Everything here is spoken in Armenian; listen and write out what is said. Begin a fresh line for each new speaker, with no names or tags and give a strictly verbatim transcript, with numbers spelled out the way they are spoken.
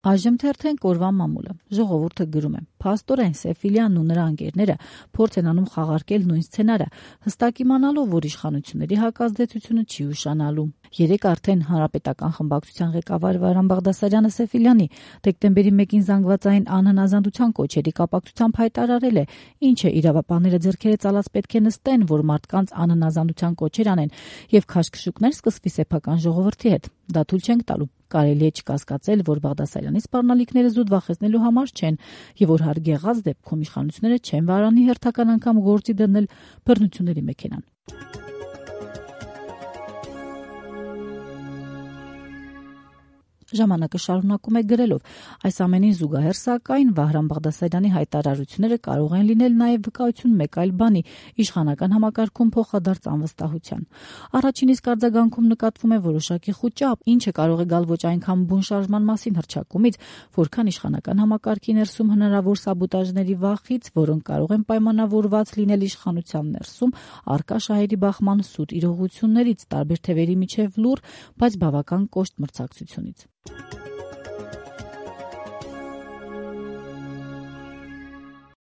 Այժմ թերթեն կորվա մամուլը։ Ժողովուրդը գրում է. Փաստորեն Սեֆիլյանն ու նրա ընկերները փորձ են անում խաղարկել նույն սցենարը, հստակ իմանալով, որ իշխանությունների հակազդեցությունը չի ուշանալու։ Երեկ արդեն հանրապետական խմբակցության ղեկավար Վահրամ Բաղդասարյանը Սեֆիլյանի դեկտեմբերի մեկին զանգվածային անհնազանդության կոչերի կապակցությամբ հայտարարել է, ինչ է իրավապահները ձեռքերը ծալած պետք է նստեն, որ մարդկանց անհնազանդության կոչեր անեն եւ քաշքշուկներ սկսվի սեփական ժողովրդի հետ։ Դա թույլ չենք տալու։ Կարելի է չկասկածել, որ Բաղդասարյանի սպառնալիքները զուտ վախեցնելու համար չեն եւ որ հարգեղած դեպքում իշխանությունները չեն վարանի հերթական անգամ գործի դնել բռնությունների մեքենան։ Ժամանակը շարունակում է գրելով. այս ամենին զուգահեռ սակայն Վահրամ Բաղդասարյանի հայտարարությունները կարող են լինել նաև վկայություն մեկ այլ բանի՝ իշխանական համակարգում փոխադարձ անվստահության։ Առաջին իսկ արձագանքում նկատվում է որոշակի խուճապ, ինչը կարող է գալ ոչ այնքան բուն շարժման մասին հռչակումից, որքան իշխանական համակարգի ներսում հնարավոր սաբոտաժների վախից, որոնք կարող են պայմանավորված լինել իշխանության ներսում առկա շահերի բախման սուտ իրողություններից, տարբեր թևերի միջև լուռ, բայց բավական կոշտ մրցակցությունից։